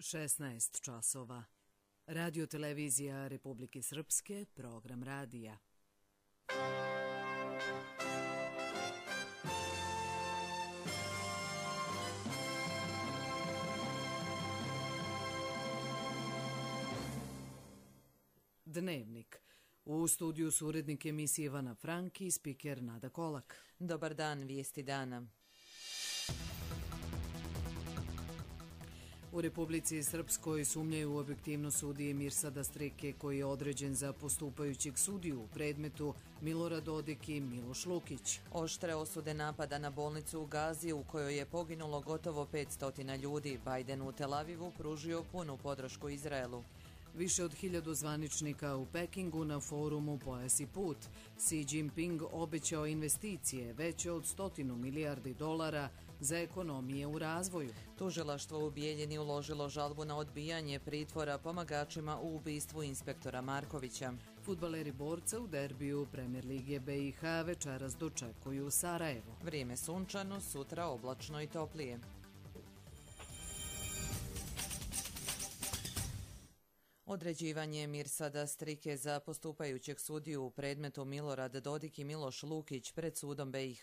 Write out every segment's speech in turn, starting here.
16 časova. Radio televizija Republike Srpske, program radija. Dnevnik. U studiju su urednik emisije Ivana Franki i spiker Nada Kolak. Dobar dan, vijesti dana. U Republici Srpskoj sumnjaju u objektivnost sudije Mirsada Strike, koji je određen za postupajućeg sudiju u predmetu Milorad Dodik i Miloš Lukić. Oštre osude napada na bolnicu u Gazi, u kojoj je poginulo gotovo 500 ljudi. Biden u Tel Avivu pružio punu podršku Izraelu. Više od 1000 zvaničnika u Pekingu na forumu Pojas i put. Xi Jinping obećao investicije veće od 100 milijardi dolara za ekonomije u razvoju. Tužilaštvo u Bijeljini uložilo žalbu na odbijanje pritvora pomagačima u ubistvu inspektora Markovića. Fudbaleri Borca u derbiju Premier Lige BiH večeras dočekuju u Sarajevo. Vrijeme sunčano, sutra oblačno i toplije. Određivanje Mirsada Strike za postupajućeg sudiju u predmetu Milorad Dodik i Miloš Lukić pred sudom BiH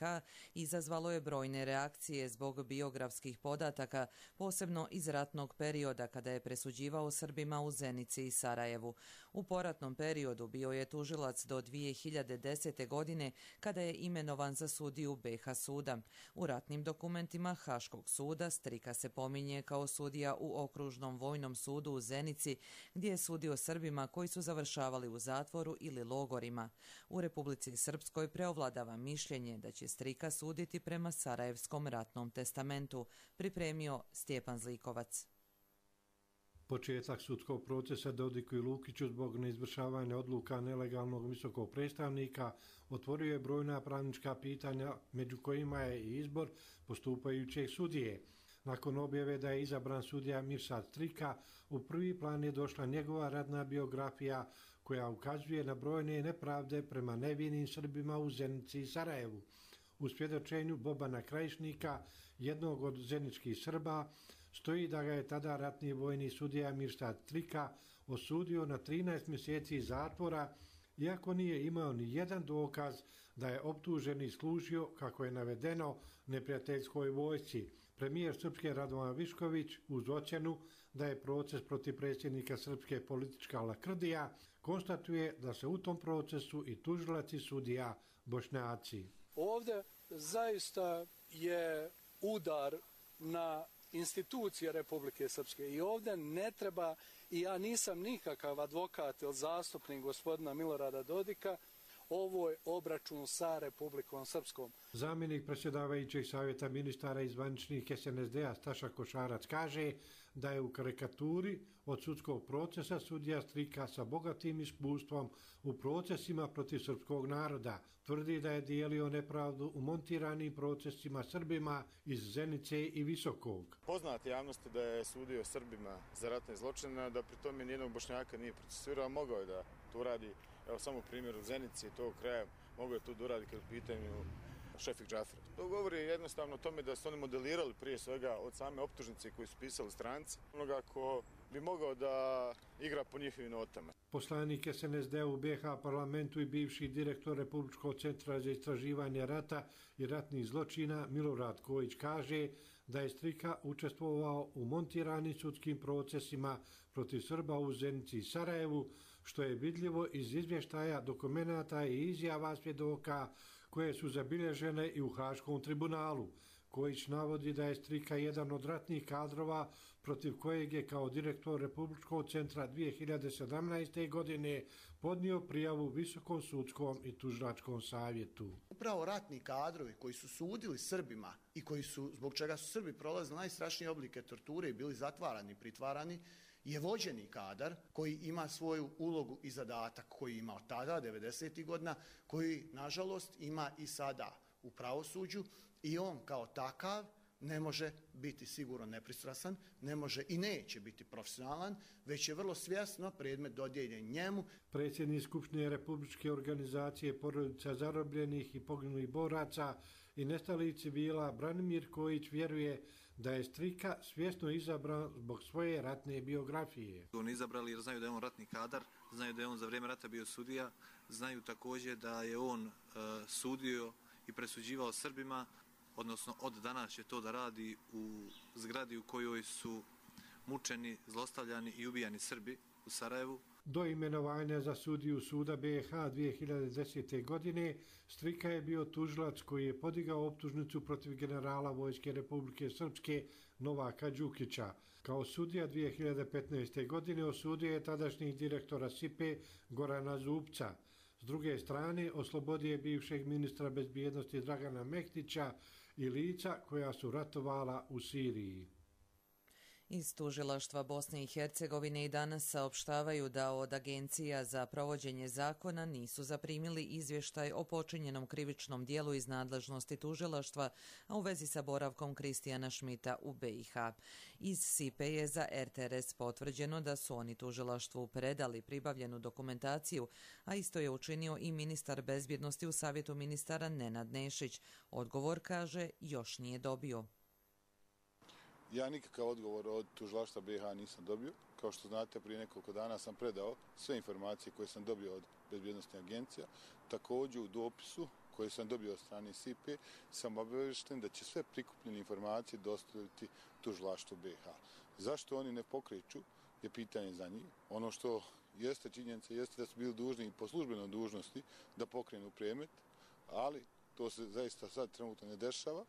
izazvalo je brojne reakcije zbog biografskih podataka, posebno iz ratnog perioda kada je presuđivao Srbima u Zenici i Sarajevu. U poratnom periodu bio je tužilac do 2010. godine kada je imenovan za sudiju BiH suda. U ratnim dokumentima Haškog suda Strika se pominje kao sudija u Okružnom vojnom sudu u Zenici, gdje je sudio Srbima koji su završavali u zatvoru ili logorima. U Republici Srpskoj preovladava mišljenje da će Strika suditi prema Sarajevskom ratnom testamentu, pripremio Stjepan Zlikovac. Početak sudskog procesa Dodiku i Lukiću zbog neizvršavanja odluka nelegalnog visokog predstavnika otvorio je brojna pravnička pitanja, među kojima je i izbor postupajućeg sudije. Nakon objave da je izabran sudija Mirsad Strika, u prvi plan je došla njegova radna biografija koja ukazuje na brojne nepravde prema nevinim Srbima u Zenici i Sarajevu. U svjedočenju Bobana Krajišnika, jednog od zeničkih Srba, stoji da ga je tada ratni vojni sudija Mirsad Strika osudio na 13 mjeseci zatvora, iako nije imao ni jedan dokaz da je optuženi služio, kako je navedeno, neprijateljskoj vojsci. Premijer Srpske Radovan Višković, uz ocjenu da je proces protiv predsjednika Srpske politička lakrdija, konstatuje da se u tom procesu i tužilac i sudija Bošnjaci. Ovdje zaista je udar na institucije Republike Srpske i ovdje ne treba, i ja nisam nikakav advokat ili zastupnik gospodina Milorada Dodika, ovo je obračun sa Republikom Srpskom. Zamjenik predsjedavajućeg savjeta ministara i zvaničnih SNSD-a Staša Košarac kaže da je u karikaturi od sudskog procesa sudija Strika sa bogatim iskustvom u procesima protiv srpskog naroda. Tvrdi da je dijelio nepravdu u montiranim procesima Srbima iz Zenice i Visokog. Poznat javnosti da je sudio Srbima za ratne zločine, da pri tome nijednog Bošnjaka nije procesuirao, mogao je da to radi. Evo samo primjer u Zenici i tog kraja, mogu je to da uradi kad u pitanju Šefik Džafra. To govori jednostavno o tome da su oni modelirali prije svega od same optužnice koju su pisali stranci, onoga ko bi mogao da igra po njihovim notama. Poslanik SNSD u BiH parlamentu i bivši direktor Republičkog centra za istraživanje rata i ratnih zločina Milorad Kojić kaže da je Strika učestvovao u montiranim sudskim procesima protiv Srba u Zenici i Sarajevu, što je vidljivo iz izvještaja, dokumenata i izjava svjedoka koje su zabilježene i u Haškom tribunalu. Kojić navodi da je Strika jedan od ratnih kadrova protiv kojeg je kao direktor Republičkog centra 2017. godine podnio prijavu Visokom sudskom i tužilačkom savjetu. Upravo ratni kadrovi koji su sudili Srbima i koji su, zbog čega su Srbi prolazili najstrašnije oblike torture i bili zatvarani, pritvarani, je vođeni kadar koji ima svoju ulogu i zadatak koji ima tada, 90. godina, koji nažalost ima i sada u pravosuđu i on kao takav ne može biti sigurno nepristrasan, ne može i neće biti profesionalan, već je vrlo svjesno predmet dodijeljen njemu. Predsjednik Skupštine Republičke organizacije porodica zarobljenih i poginulih boraca i nestalih civila, Branimir Kojić vjeruje da je Strika svjesno izabran zbog svoje ratne biografije. On izabrali jer znaju da je on ratni kadar, znaju da je on za vrijeme rata bio sudija, znaju također da je on sudio i presuđivao Srbima, odnosno od danas će to da radi u zgradi u kojoj su mučeni, zlostavljani i ubijani Srbi u Sarajevu. Do imenovanja za sudiju suda BiH 2010. godine Strika je bio tužilac koji je podigao optužnicu protiv generala Vojske Republike Srpske Novaka Đukića. Kao sudija 2015. godine osudio je tadašnjeg direktora SIPE Gorana Zupca. S druge strane, oslobodio je bivšeg ministra bezbjednosti Dragana Mehtića i lica koja su ratovala u Siriji. Iz tužilaštva Bosne i Hercegovine i danas saopštavaju da od agencija za provođenje zakona nisu zaprimili izvještaj o počinjenom krivičnom dijelu iz nadležnosti tužilaštva, a u vezi sa boravkom Kristijana Šmita u BiH. Iz SIPE je za RTRS potvrđeno da su oni tužilaštvu predali pribavljenu dokumentaciju, a isto je učinio i ministar bezbjednosti u Savjetu ministara Nenad Nešić. Odgovor, kaže, još nije dobio. Ja nikakav odgovor od tužilaštva BiH nisam dobio. Kao što znate, prije nekoliko dana sam predao sve informacije koje sam dobio od bezbjednostnih agencija. Također u dopisu koje sam dobio od strane SIPE sam obavješten da će sve prikupljene informacije dostaviti tužilaštvu BiH. Zašto oni ne pokreću je pitanje za njih. Ono što jeste činjenica jeste da su bili dužni i po službenoj dužnosti da pokrenu predmet, ali to se zaista sad trenutno ne dešava.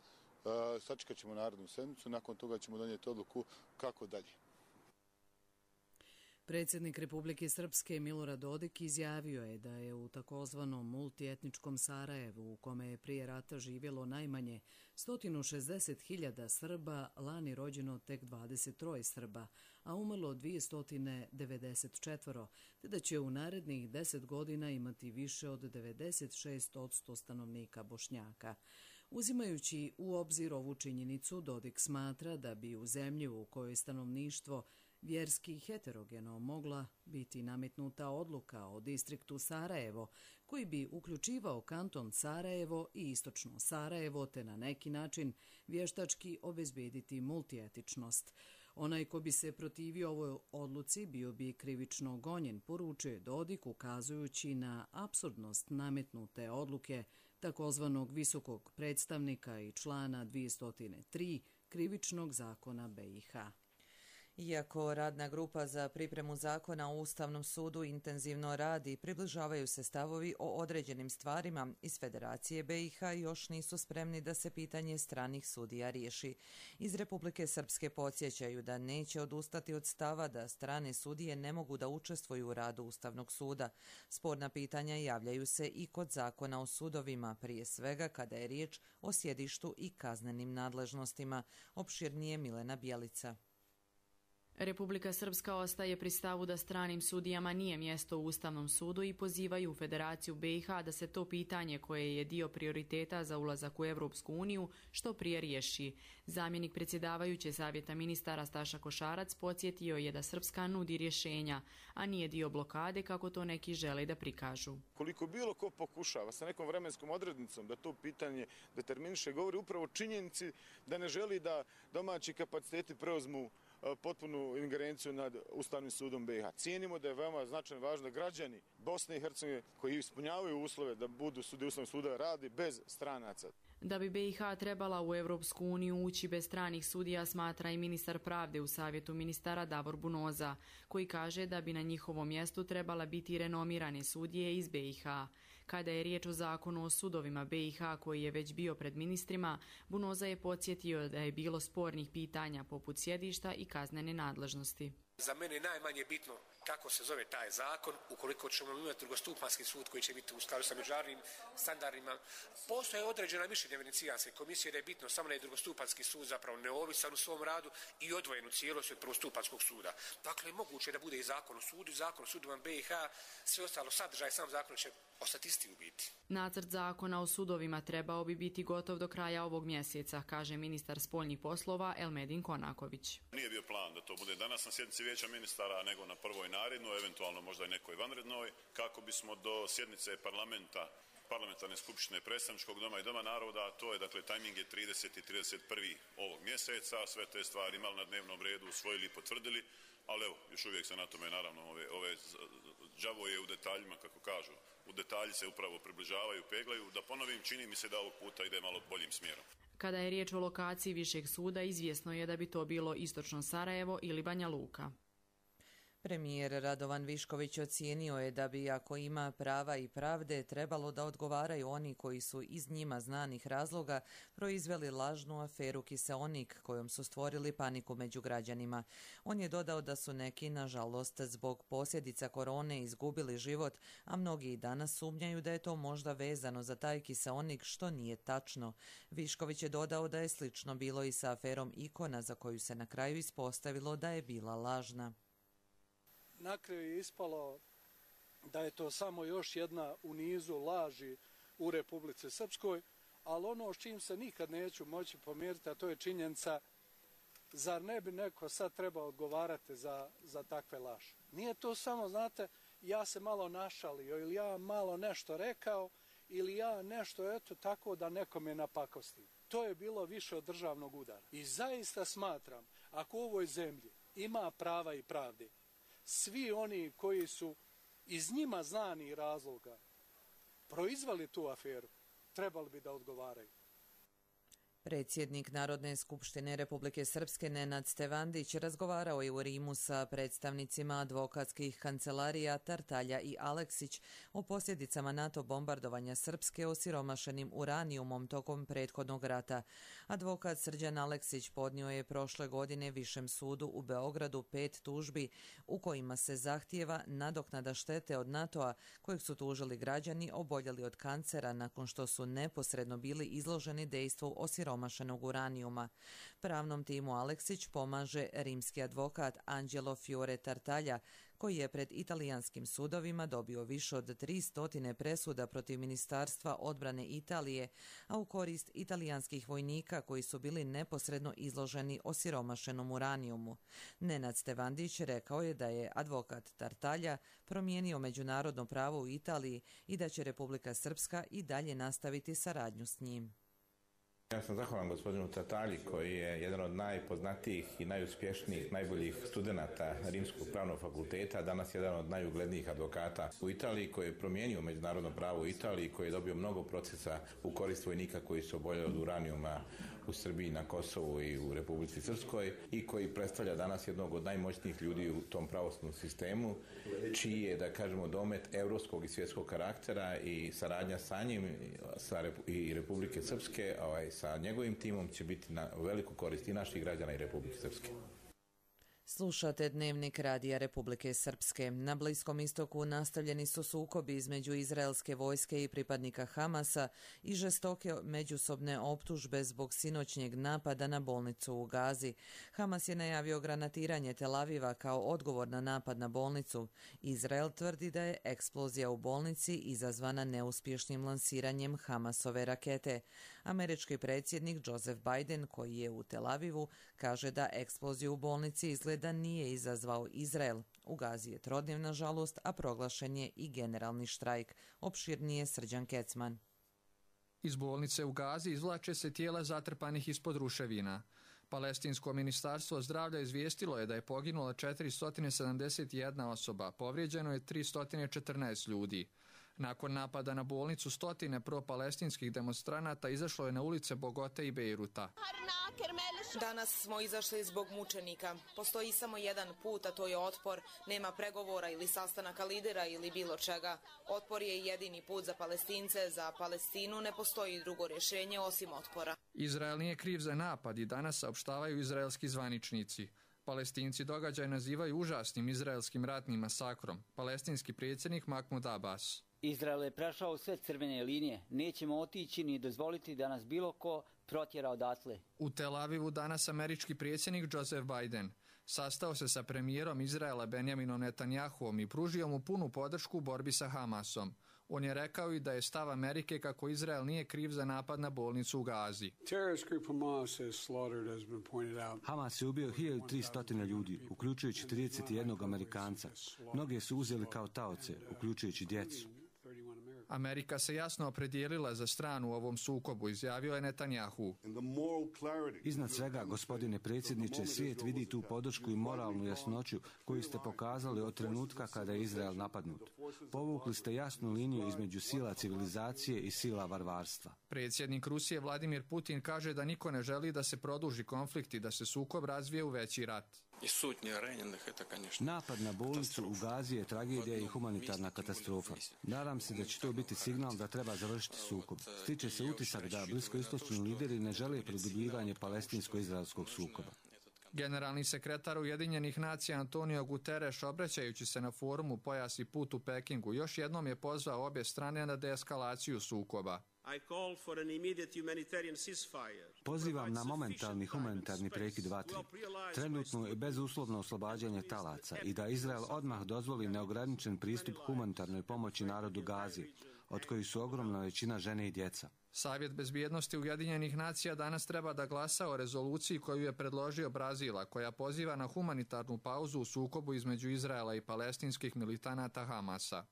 Sačekat ćemo narodnu sednicu, nakon toga ćemo donijeti odluku kako dalje. Predsjednik Republike Srpske Milorad Dodik izjavio je da je u takozvanom multietničkom Sarajevu, u kome je prije rata živjelo najmanje 160.000 Srba, lani rođeno tek 23 Srba, a umrlo 294, te da će u narednih 10 godina imati više od 96% stanovnika Bošnjaka. Uzimajući u obzir ovu činjenicu, Dodik smatra da bi u zemlji u kojoj stanovništvo vjerski heterogeno mogla biti nametnuta odluka o distriktu Sarajevo, koji bi uključivao kanton Sarajevo i istočno Sarajevo, te na neki način vještački obezbediti multietičnost. Onaj ko bi se protivio ovoj odluci bio bi krivično gonjen, poručuje Dodik, ukazujući na apsurdnost nametnute odluke takozvanog visokog predstavnika i člana 203 krivičnog zakona BiH. Iako radna grupa za pripremu zakona o Ustavnom sudu intenzivno radi, približavaju se stavovi o određenim stvarima iz Federacije BiH još nisu spremni da se pitanje stranih sudija riješi. Iz Republike Srpske podsjećaju da neće odustati od stava da strane sudije ne mogu da učestvuju u radu Ustavnog suda. Sporna pitanja javljaju se i kod zakona o sudovima, prije svega kada je riječ o sjedištu i kaznenim nadležnostima. Opširnije Milena Bjelica. Republika Srpska ostaje pri stavu da stranim sudijama nije mjesto u Ustavnom sudu i pozivaju Federaciju BiH da se to pitanje, koje je dio prioriteta za ulazak u Evropsku uniju, što prije riješi. Zamjenik predsjedavajuće Savjeta ministara Staša Košarac podsjetio je da Srpska nudi rješenja, a nije dio blokade kako to neki žele da prikažu. Koliko bilo ko pokušava sa nekom vremenskom odrednicom da to pitanje determiniše, govori upravo činjenici da ne želi da domaći kapaciteti preuzmu potpunu ingerenciju nad Ustavnim sudom BiH. Cijenimo da je veoma značajno važno da građani Bosne i Hercegovine koji ispunjavaju uslove da budu sudije Ustavnog suda radi bez stranaca. Da bi BiH trebala u Evropsku uniju ući bez stranih sudija, smatra i ministar pravde u Savjetu ministara Davor Bunoza, koji kaže da bi na njihovom mjestu trebala biti renomirane sudije iz BiH. Kada je riječ o zakonu o sudovima BiH koji je već bio pred ministrima, Bunoza je podsjetio da je bilo spornih pitanja poput sjedišta i kaznene nadležnosti. Za mene je najmanje bitno kako se zove taj zakon, ukoliko ćemo imati drugostupanjski sud koji će biti u skladu sa međunarodnim standardima. Postoje određena mišljenja Venecijanske komisije da je bitno samo da je drugostupanski sud zapravo neovisan u svom radu i odvojen u cijelosti od prvostupanskog suda. Dakle, moguće da bude i zakon o sudu, zakon o sudovima BiH, sve ostalo sadržaj sam zakon će ostati isti u biti. Nacrt zakona o sudovima trebao bi biti gotov do kraja ovog mjeseca, kaže ministar spoljnih poslova Elmedin Konaković. Nije bio plan da to bude danas na sjednici vijeća ministara, nego na prvoj narednoj, eventualno možda i nekoj vanrednoj, kako bismo do sjednice parlamenta parlamentarne skupštine predstavničkog doma i doma naroda, a to je, dakle, tajming je 30. i 31. ovog mjeseca, sve te stvari imali na dnevnom redu, usvojili i potvrdili, ali evo, još uvijek se na tome, naravno, đavo je u detaljima, kako kažu, u detalji se upravo približavaju, peglaju, da ponovim, čini mi se da ovog puta ide malo boljim smjerom. Kada je riječ o lokaciji Višeg suda, izvjesno je da bi to bilo istočno Sarajevo ili Banja Luka. Premijer Radovan Višković ocijenio je da bi, ako ima prava i pravde, trebalo da odgovaraju oni koji su iz njima znanih razloga proizveli lažnu aferu Kiseonik, kojom su stvorili paniku među građanima. On je dodao da su neki, nažalost, zbog posljedica korone izgubili život, a mnogi i danas sumnjaju da je to možda vezano za taj Kiseonik, što nije tačno. Višković je dodao da je slično bilo i sa aferom Ikona, za koju se na kraju ispostavilo da je bila lažna. Na kraju je ispalo da je to samo još jedna u nizu laži u Republici Srpskoj, ali ono s čim se nikad neću moći pomjeriti, a to je činjenica, zar ne bi neko sad trebao odgovarati za takve laži. Nije to samo, znate, ja se malo našalio ili ja malo nešto rekao ili ja nešto eto tako da nekome napakostim. To je bilo više od državnog udara. I zaista smatram, ako u ovoj zemlji ima prava i pravde, svi oni koji su iz njima znanih razloga proizveli tu aferu, trebali bi da odgovaraju. Predsjednik Narodne skupštine Republike Srpske Nenad Stevandić razgovarao je u Rimu sa predstavnicima advokatskih kancelarija Tartalja i Aleksić o posljedicama NATO bombardovanja Srpske osiromašenim uranijumom tokom prethodnog rata. Advokat Srđan Aleksić podnio je prošle godine Višem sudu u Beogradu 5 tužbi u kojima se zahtijeva nadoknada štete od NATO-a kojeg su tužili građani oboljeli od kancera nakon što su neposredno bili izloženi dejstvu osiromašenog uranijuma. Pravnom timu Aleksić pomaže rimski advokat Angelo Fiore Tartaglia, koji je pred italijanskim sudovima dobio više od 300 presuda protiv Ministarstva odbrane Italije, a u korist italijanskih vojnika koji su bili neposredno izloženi osiromašenom uranijumu. Nenad Stevandić rekao je da je advokat Tartaglia promijenio međunarodno pravo u Italiji i da će Republika Srpska i dalje nastaviti saradnju s njim. Ja sam zahvalan gospodinu Tartagli koji je jedan od najpoznatijih i najuspješnijih, najboljih studenata Rimskog pravnog fakulteta, danas jedan od najuglednijih advokata u Italiji, koji je promijenio međunarodno pravo u Italiji, koji je dobio mnogo procesa u korist vojnika koji su oboljeli od uranijuma u Srbiji, na Kosovu i u Republici Srpskoj i koji predstavlja danas jednog od najmoćnijih ljudi u tom pravosudnom sistemu, čiji je, da kažemo, domet evropskog i svjetskog karaktera i saradnja sa njim i Republike Srpske, sa njegovim timom će biti na veliku korist i naših građana i Republike Srpske. Slušate Dnevnik Radija Republike Srpske. Na Bliskom istoku nastavljeni su sukobi između izraelske vojske i pripadnika Hamasa i žestoke međusobne optužbe zbog sinoćnjeg napada na bolnicu u Gazi. Hamas je najavio granatiranje Tel Aviva kao odgovor na napad na bolnicu. Izrael tvrdi da je eksplozija u bolnici izazvana neuspješnim lansiranjem Hamasove rakete. Američki predsjednik Joseph Biden, koji je u Tel Avivu, kaže da eksploziju u bolnici izgleda nije izazvao Izrael. U Gazi je trodnevna žalost, a proglašen je i generalni štrajk. Opširnije Srđan Kecman. Iz bolnice u Gazi izvlače se tijela zatrpanih ispod ruševina. Palestinsko ministarstvo zdravlja izvijestilo je da je poginula 471 osoba, povrijeđeno je 314 ljudi. Nakon napada na bolnicu, stotine pro-palestinskih demonstranata izašlo je na ulice Bogote i Bejruta. Danas smo izašli zbog mučenika. Postoji samo jedan put, a to je otpor. Nema pregovora ili sastanaka lidera ili bilo čega. Otpor je jedini put za Palestince. Za Palestinu ne postoji drugo rješenje osim otpora. Izrael nije kriv za napad i danas saopštavaju izraelski zvaničnici. Palestinci događaj nazivaju užasnim izraelskim ratnim masakrom. Palestinski predsjednik Mahmud Abbas. Izrael je prešao sve crvene linije. Nećemo otići ni dozvoliti da nas bilo ko protjera odatle. U Tel Avivu danas američki predsjednik Joseph Biden sastao se sa premijerom Izraela Benjaminom Netanjahuom i pružio mu punu podršku u borbi sa Hamasom. On je rekao i da je stav Amerike kako Izrael nije kriv za napad na bolnicu u Gazi. Hamas je ubio 1300 ljudi, uključujući 31 Amerikanca. Mnoge su uzeli kao taoce, uključujući djecu. Amerika se jasno opredijelila za stranu u ovom sukobu, izjavio je Netanjahu. Iznad svega, gospodine predsjedniče, svijet vidi tu podršku i moralnu jasnoću koju ste pokazali od trenutka kada je Izrael napadnut. Povukli ste jasnu liniju između sila civilizacije i sila varvarstva. Predsjednik Rusije Vladimir Putin kaže da niko ne želi da se produži konflikt i da se sukob razvije u veći rat. Napad na bolnicu u Gazi je tragedija i humanitarna katastrofa. Nadam se da će to biti signal da treba završiti sukob. Stiče se utisak da bliskoistočni lideri ne žele produbljivanje palestinsko-izraelskog sukoba. Generalni sekretar Ujedinjenih nacija Antonio Guterres, obraćajući se na forumu Pojas i put u Pekingu, još jednom je pozvao obje strane na deeskalaciju sukoba. Pozivam na momentalni humanitarni prekid vatre, trenutno i bezuslovno oslobađanje talaca i da Izrael odmah dozvoli neograničen pristup humanitarnoj pomoći narodu Gazi, od kojih su ogromna većina žene i djeca. Savjet bezbjednosti Ujedinjenih nacija danas treba da glasa o rezoluciji koju je predložio Brazil, koja poziva na humanitarnu pauzu u sukobu između Izraela i palestinskih militanata Hamasa.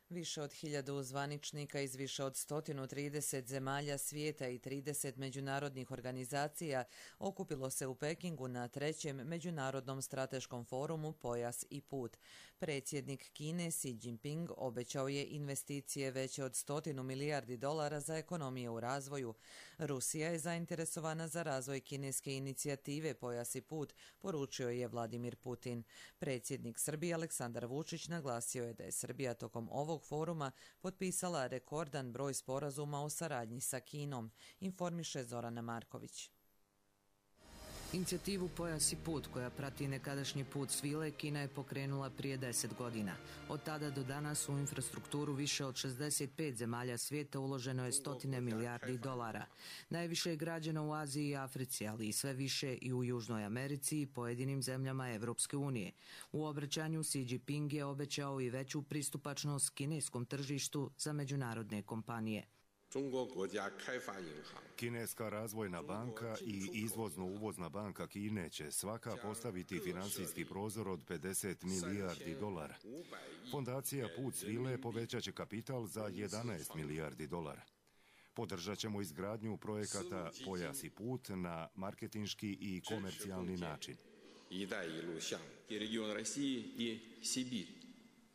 Više od 1000 zvaničnika iz više od 130 zemalja svijeta i 30 međunarodnih organizacija okupilo se u Pekingu na 3. Međunarodnom strateškom forumu Pojas i put. Predsjednik Kine Xi Jinping obećao je investicije veće od $100 milijardi za ekonomije u razvoju. Rusija je zainteresovana za razvoj kineske inicijative Pojas i put, poručio je Vladimir Putin. Predsjednik Srbije Aleksandar Vučić naglasio je da je Srbija tokom ovog foruma potpisala rekordan broj sporazuma o saradnji sa Kinom, informiše Zorana Marković. Inicijativu Pojas i put, koja prati nekadašnji put svile, Kina je pokrenula prije 10 godina. Od tada do danas u infrastrukturu više od 65 zemalja svijeta uloženo je $100 milijardi. Najviše je građeno u Aziji i Africi, ali i sve više i u Južnoj Americi i pojedinim zemljama Evropske unije. U obraćanju Xi Jinping je obećao i veću pristupačnost kineskom tržištu za međunarodne kompanije. Kineska razvojna banka i izvozno-uvozna banka Kine će svaka postaviti financijski prozor od $50 milijardi. Fondacija Put svile povećat će kapital za $11 milijardi. Podržat ćemo izgradnju projekata Pojas i put na marketinški i komercijalni način.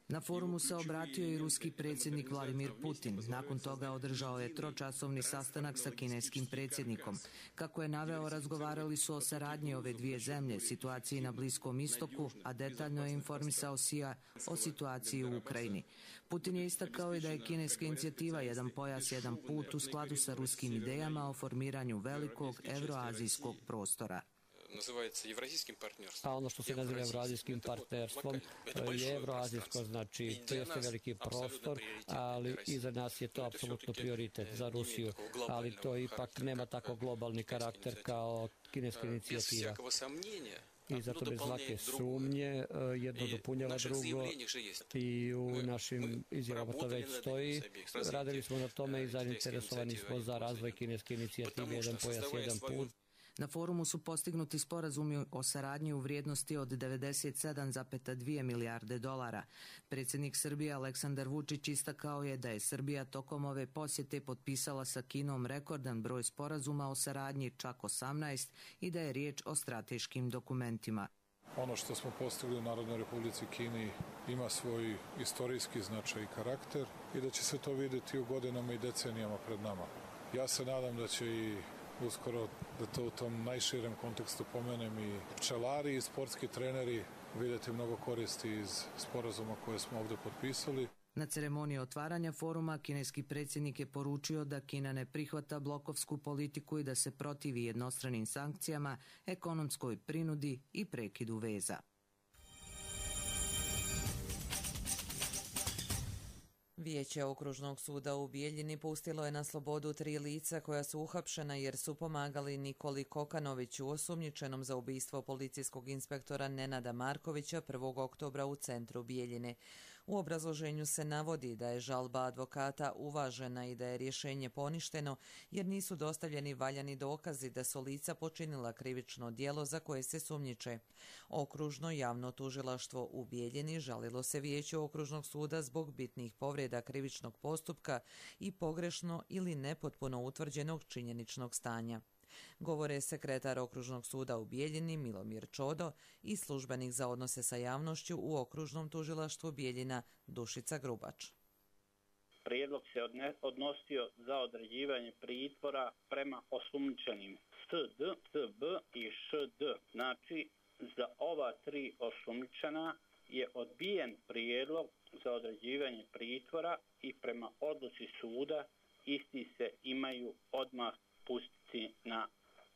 Na forumu se obratio i ruski predsjednik Vladimir Putin. Nakon toga održao je 3-časovni sastanak sa kineskim predsjednikom. Kako je naveo, razgovarali su o saradnji ove dvije zemlje, situaciji na Bliskom istoku, a detaljno je informisao Xija o situaciji u Ukrajini. Putin je istakao i da je kineska inicijativa Jedan pojas, jedan put u skladu sa ruskim idejama o formiranju velikog evroazijskog prostora. A ono što se naziva evroazijskim partnerstvom je evroazijsko, znači to jeste veliki prostor, ali i za nas je to apsolutno prioritet za Rusiju, ali to ipak nema tako globalni karakter kao kineska inicijativa. I zato bez svake sumnje jedno dopunjava drugo i u našim izjavama to već stoji. Radili smo na tome i zainteresovani smo za razvoj kineske inicijative Jedan pojas, jedan put. Na forumu su postignuti sporazumi o saradnji u vrijednosti od $97,2 milijarde. Predsjednik Srbije Aleksandar Vučić istakao je da je Srbija tokom ove posjete potpisala sa Kinom rekordan broj sporazuma o saradnji, čak 18, i da je riječ o strateškim dokumentima. Ono što smo postigli u Narodnoj Republici Kini ima svoj istorijski značaj i karakter i da će se to vidjeti u godinama i decenijama pred nama. Ja se nadam da će i uskoro, da to u tom najširem kontekstu pomenem, i pčelari i sportski treneri vidjeti mnogo koristi iz sporazuma koje smo ovdje potpisali. Na ceremoniji otvaranja foruma kineski predsjednik je poručio da Kina ne prihvata blokovsku politiku i da se protivi jednostranim sankcijama, ekonomskoj prinudi i prekidu veza. Vijeće Okružnog suda u Bijeljini pustilo je na slobodu 3 lica koja su uhapšena jer su pomagali Nikoli Kokanoviću, osumnjičenom za ubistvo policijskog inspektora Nenada Markovića 1. oktobra u centru Bijeljine. U obrazloženju se navodi da je žalba advokata uvažena i da je rješenje poništeno jer nisu dostavljeni valjani dokazi da su lica počinila krivično djelo za koje se sumnjiče. Okružno javno tužilaštvo u Bijeljini žalilo se Vijeću Okružnog suda zbog bitnih povreda krivičnog postupka i pogrešno ili nepotpuno utvrđenog činjeničnog stanja. Govore sekretar Okružnog suda u Bijeljini Milomir Čodo i službenik za odnose sa javnošću u Okružnom tužilaštvu Bijeljina Dušica Grubač. Prijedlog se odnosio za određivanje pritvora prema osumnjičenim SD, SB i ŠD. Znači, za ova tri osumnjičena je odbijen prijedlog za određivanje pritvora i prema odluci suda isti se imaju odmah pustiti na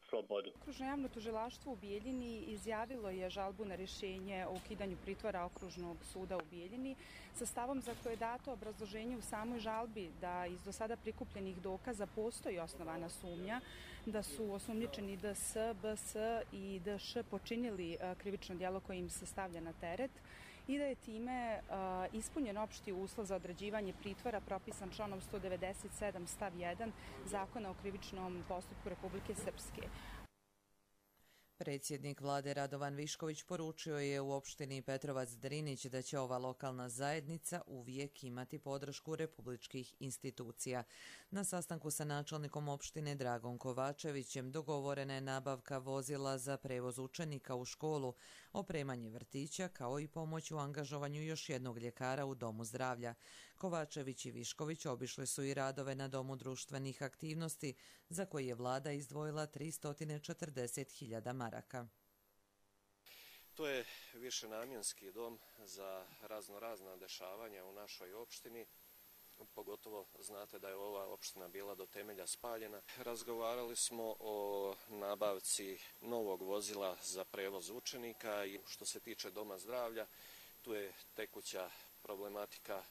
slobodu. Okružno javno tužilaštvo u Bijeljini izjavilo je žalbu na rješenje o ukidanju pritvora Okružnog suda u Bijeljini sa stavom za koje je dato obrazloženje u samoj žalbi da iz do sada prikupljenih dokaza postoji osnovana sumnja da su osumnjičeni DS, BS i DŠ počinili krivično djelo koje im se stavlja na teret i da je time ispunjen opšti uslov za određivanje pritvora propisan članom 197 stav 1 Zakona o krivičnom postupku Republike Srpske. Predsjednik vlade Radovan Višković poručio je u opštini Petrovac Drinić da će ova lokalna zajednica uvijek imati podršku republičkih institucija. Na sastanku sa načelnikom opštine Dragom Kovačevićem dogovorena je nabavka vozila za prevoz učenika u školu, opremanje vrtića kao i pomoć u angažovanju još jednog ljekara u domu zdravlja. Kovačević i Višković obišli su i radove na domu društvenih aktivnosti za koje je vlada izdvojila 340.000 maraka. To je višenamjenski dom za raznorazna dešavanja u našoj opštini. Pogotovo znate da je ova opština bila do temelja spaljena. Razgovarali smo o nabavci novog vozila za prevoz učenika i što se tiče doma zdravlja, tu je tekuća problematika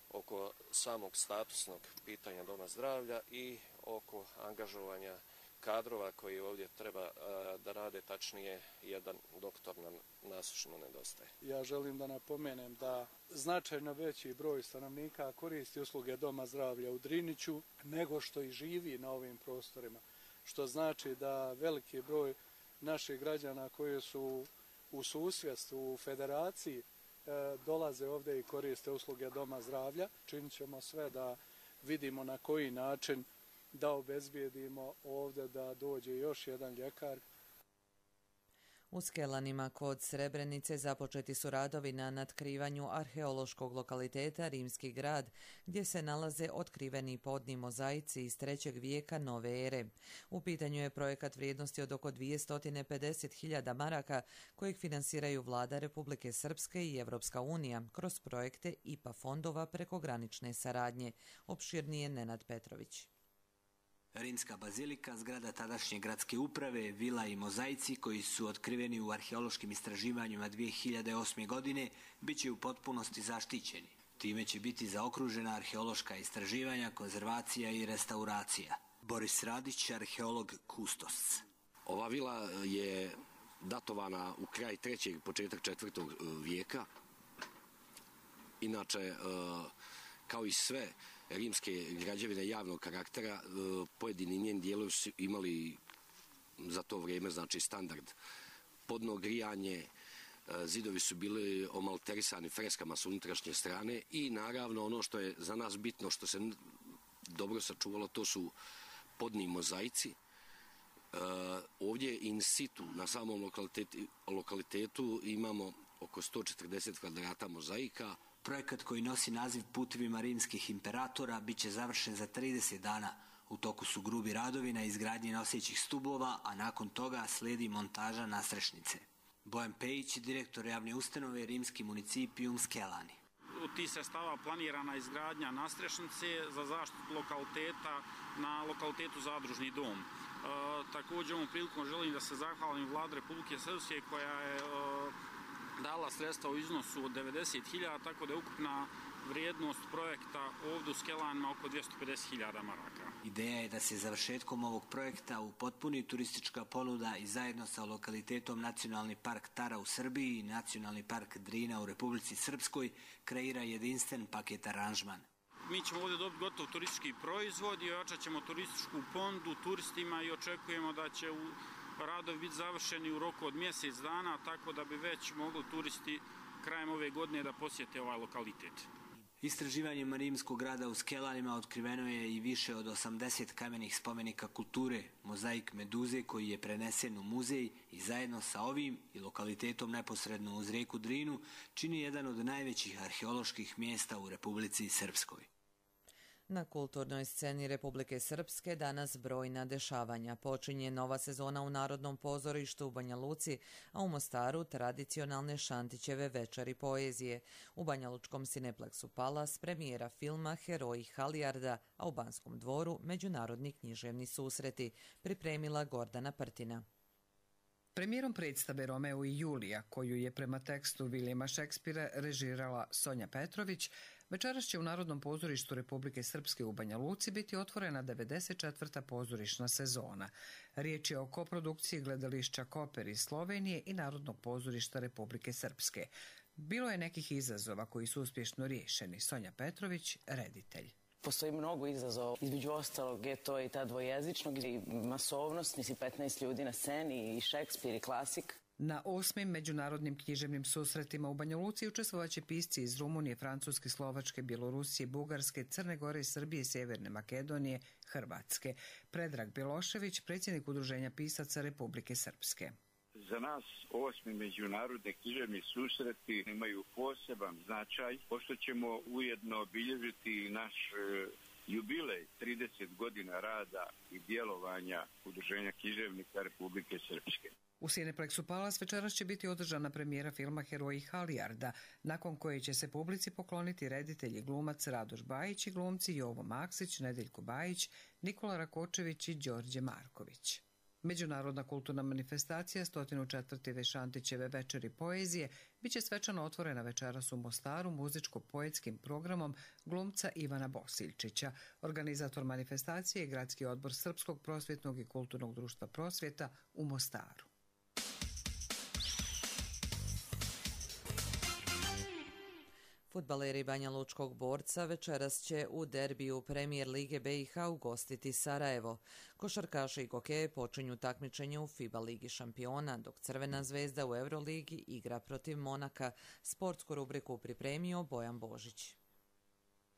oko samog statusnog pitanja doma zdravlja i oko angažovanja kadrova koji ovdje treba da rade, tačnije jedan doktor nam nasušno nedostaje. Ja želim da napomenem da značajno veći broj stanovnika koristi usluge doma zdravlja u Driniću nego što i živi na ovim prostorima, što znači da veliki broj naših građana koji su u susjedstvu, u federaciji, dolaze ovdje i koriste usluge doma zdravlja. Činit ćemo sve da vidimo na koji način da obezbijedimo ovdje da dođe još jedan ljekar. U Skelanima kod Srebrenice započeti su radovi na natkrivanju arheološkog lokaliteta Rimski grad, gdje se nalaze otkriveni podni mozaici iz 3. vijeka nove ere. U pitanju je projekat vrijednosti od oko 250.000 maraka, kojeg finansiraju vlada Republike Srpske i Evropska unija kroz projekte IPA fondova prekogranične saradnje. Opširnije Nenad Petrović. Rimska bazilika, zgrada tadašnje gradske uprave, vila i mozaici koji su otkriveni u arheološkim istraživanjima 2008. godine bit će u potpunosti zaštićeni. Time će biti zaokružena arheološka istraživanja, konzervacija i restauracija. Boris Radić, arheolog Kustos. Ova vila je datovana u kraj 3. početak 4. vijeka. Inače, kao i sve rimske građevine javnog karaktera, pojedini njeni dijelovi su imali za to vrijeme, znači, standard. Podno grijanje, zidovi su bili omalterisani freskama s unutrašnje strane i naravno ono što je za nas bitno, što se dobro sačuvalo, to su podni mozaici. Ovdje in situ na samom lokalitetu imamo oko 140 kvadrata mozaika. Projekat koji nosi naziv Putevima rimskih imperatora bit će završen za 30 dana. U toku su grubi radovi na izgradnji nosećih stubova, a nakon toga slijedi montaža nasrešnice. Bojan Pejić, direktor javne ustanove Rimski municipijum Skelani. Od tih sredstava planirana izgradnja nastrešnice za zaštitu lokaliteta na lokalitetu Zadružni dom. Također ovom prilikom želim da se zahvalim vladi Republike Srpske koja je dala sredstva u iznosu od 90.000, tako da je ukupna vrijednost projekta ovdje u Skelanima oko 250.000 maraka. Ideja je da se završetkom ovog projekta upotpuni turistička ponuda i zajedno sa lokalitetom Nacionalni park Tara u Srbiji i Nacionalni park Drina u Republici Srpskoj kreira jedinstven paket aranžman. Mi ćemo ovdje dobiti gotov turistički proizvod i ojačat ćemo turističku ponudu turistima i očekujemo da će radovi biti završeni u roku od mjesec dana, tako da bi već mogli turisti krajem ove godine da posjete ovaj lokalitet. Istraživanjem rimskog grada u Skelanima otkriveno je i više od 80 kamenih spomenika kulture, mozaik Meduze koji je prenesen u muzej i zajedno sa ovim i lokalitetom neposredno uz rijeku Drinu čini jedan od najvećih arheoloških mjesta u Republici Srpskoj. Na kulturnoj sceni Republike Srpske danas brojna dešavanja. Počinje nova sezona u Narodnom pozorištu u Banja Luci, a u Mostaru tradicionalne Šantićeve večeri poezije. U banjalučkom Cineplexu Palas premijera filma Heroji Halijarda, a u Banskom dvoru međunarodni književni susreti, pripremila Gordana Prtina. Premijerom predstave Romeo i Julija, koju je prema tekstu Vilijema Šekspira režirala Sonja Petrović, večeras će u Narodnom pozorištu Republike Srpske u Banja Luci biti otvorena 94. pozorišna sezona. Riječ je o koprodukciji gledališća Koper iz Slovenije i Narodnog pozorišta Republike Srpske. Bilo je nekih izazova koji su uspješno riješeni. Sonja Petrović, reditelj. Postoji mnogo izazova, između ostalog je to i ta dvojezičnog i masovnost, nisi 15 ljudi na sceni i Šekspir i klasik. Na 8. međunarodnim književnim susretima u Banja Luci učestvovaće pisci iz Rumunije, Francuske, Slovačke, Bjelorusije, Bugarske, Crne Gore, Srbije, Sjeverne Makedonije, Hrvatske. Predrag Bjelošević, predsjednik Udruženja pisaca Republike Srpske. Za nas 8. međunarodni književni susreti imaju poseban značaj, pošto ćemo ujedno obilježiti naš jubilej 30 godina rada i djelovanja Udruženja književnika Republike Srpske. U Cineplexu Palas večeras će biti održana premijera filma Heroji Halijarda, nakon koje će se publici pokloniti reditelj i glumac Radoš Bajić i glumci Jovo Maksić, Nedeljko Bajić, Nikola Rakočević i Đorđe Marković. Međunarodna kulturna manifestacija 104. Šantićeve večeri poezije biće svečano otvorena večeras u Mostaru muzičko-poetskim programom glumca Ivana Bosiljčića. Organizator manifestacije je Gradski odbor Srpskog prosvjetnog i kulturnog društva Prosvjeta u Mostaru. Fudbaleri Banja Lučkog Borca večeras će u derbiju Premijer Lige BiH ugostiti Sarajevo. Košarkaši i kokeje počinju takmičenje u FIBA Ligi šampiona, dok Crvena zvezda u Euroligi igra protiv Monaka. Sportsku rubriku pripremio Bojan Božić.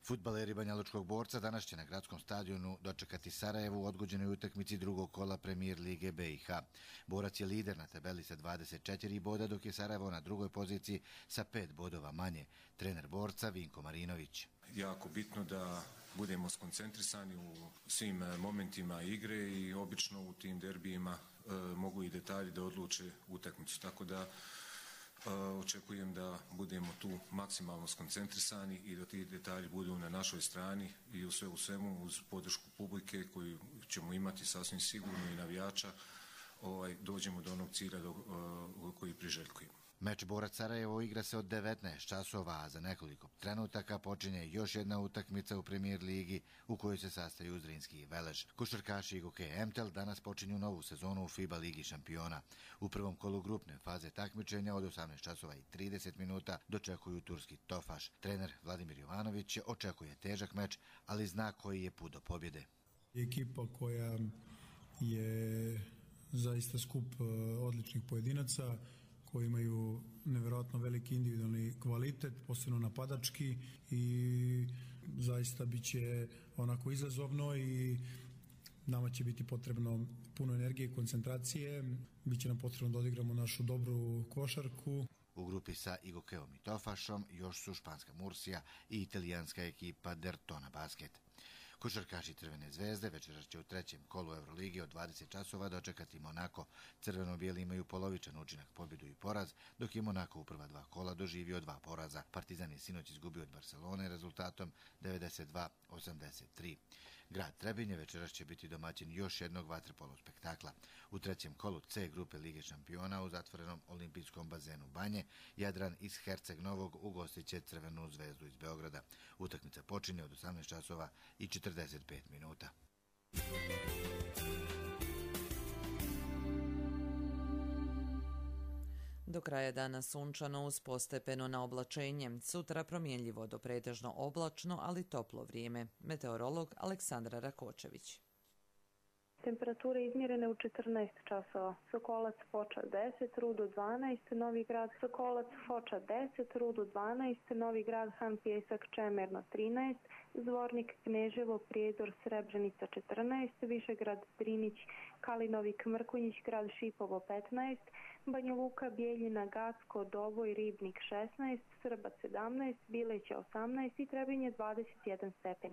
Fudbaleri Banja Lučkog Borca danas će na gradskom stadionu dočekati Sarajevo u odgođenoj utakmici drugog kola Premijer Lige BiH. Borac je lider na tabeli sa 24 boda, dok je Sarajevo na drugoj poziciji sa 5 bodova manje. Trener Borca Vinko Marinović. Jako bitno da budemo skoncentrisani u svim momentima igre i obično u tim derbijima mogu i detalji da odluče utakmicu. Tako da očekujem da budemo tu maksimalno skoncentrisani i da ti detalji budu na našoj strani i u svemu uz podršku publike koju ćemo imati sasvim sigurno i navijača dođemo do onog cilja koji priželjkujemo. Meč Borac Sarajevo igra se od 19 časova, a za nekoliko trenutaka počinje još jedna utakmica u Premijer Ligi u kojoj se sastaju Zrinski i Velež. Košarkaši i Goke Emtel danas počinju novu sezonu u FIBA Ligi šampiona. U prvom kolu grupne faze takmičenja od 18 časova i 30 minuta dočekuju turski Tofaš. Trener Vladimir Jovanović očekuje težak meč, ali zna koji je put do pobjede. Ekipa koja je zaista skup odličnih pojedinaca, koji imaju nevjerojatno veliki individualni kvalitet, posebno napadački, i zaista bit će onako izazovno i nama će biti potrebno puno energije i koncentracije. Biće nam potrebno da odigramo našu dobru košarku. U grupi sa Igokeom i Tofašom još su španska Mursija i italijanska ekipa Dertona Basket. Košarkaši Crvene zvezde večeras će u trećem kolu Euroligi od 20 časova dočekati Monako. Crveno-bijeli imaju polovičan učinak, pobjedu i poraz, dok je Monako u prva dva kola doživio 2 poraza. Partizan je sinoć izgubio od Barcelone rezultatom 92-83. Grad Trebinje večeras će biti domaćin još jednog vaterpolo spektakla. U trećem kolu C grupe Lige šampiona u zatvorenom olimpijskom bazenu Banje, Jadran iz Herceg Novog ugostit će Crvenu zvezdu iz Beograda. Utakmica počinje od 18 časova i 45 minuta. Do kraja dana sunčano uz postepeno na oblačenje. Sutra promjenljivo do pretežno oblačno, ali toplo vrijeme. Meteorolog Aleksandra Rakočević. Temperature izmjerene u 14 časova. Sokolac Foča 10, Rudo 12, Novi Grad Sokolac Foča 10, Rudo 12, Novi Grad Han Pjesak Čemerno 13, Zvornik Kneževo Prijedor Srebrenica 14, Višegrad Drinić Kalinovik Mrkonjić Grad Šipovo 15, Banja Luka Bijeljina Gacko Doboj Ribnik 16, Srbac 17, Bileća 18 i Trebinje 21 stepen.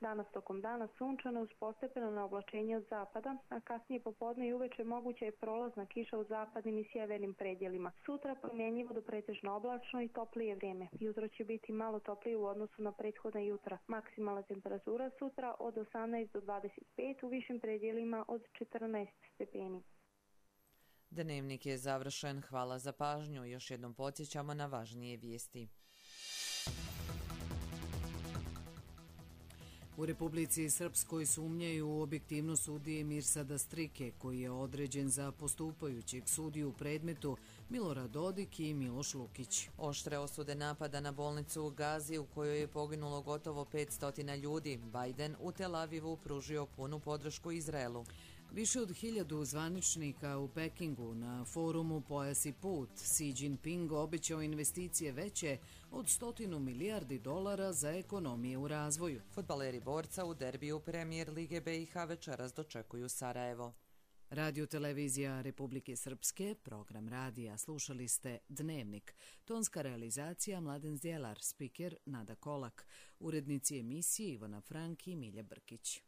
Danas tokom dana sunčano uz postepeno na oblačenje od zapada, a kasnije popodne i uveče moguća je prolazna kiša u zapadnim i sjevernim predjelima. Sutra promjenjivo do pretežno oblačno i toplije vrijeme. Jutro će biti malo toplije u odnosu na prethodna jutra. Maksimalna temperatura sutra od 18 do 25, u višim predjelima od 14 stepeni. Dnevnik je završen. Hvala za pažnju. Još jednom podsjećamo na važnije vijesti. U Republici Srpskoj sumnjaju u objektivnost sudije Mirsada Strike, koji je određen za postupajućeg sudiju u predmetu Milorad Dodik i Miloš Lukić. Oštre osude napada na bolnicu u Gazi u kojoj je poginulo gotovo 500 ljudi. Biden u Tel Avivu pružio punu podršku Izraelu. Više od 1000 zvaničnika u Pekingu na forumu Pojas i put. Xi Jinping obećao investicije veće od 100 milijardi dolara za ekonomije u razvoju. Fudbaleri borca u derbiju Premijer Lige BiH večeras dočekuju Sarajevo. Radio televizija Republike Srpske, program radija. Slušali ste Dnevnik. Tonska realizacija Mladen Zdjelar, spiker Nada Kolak. Urednici emisije Ivana Frank i Milja Brkić.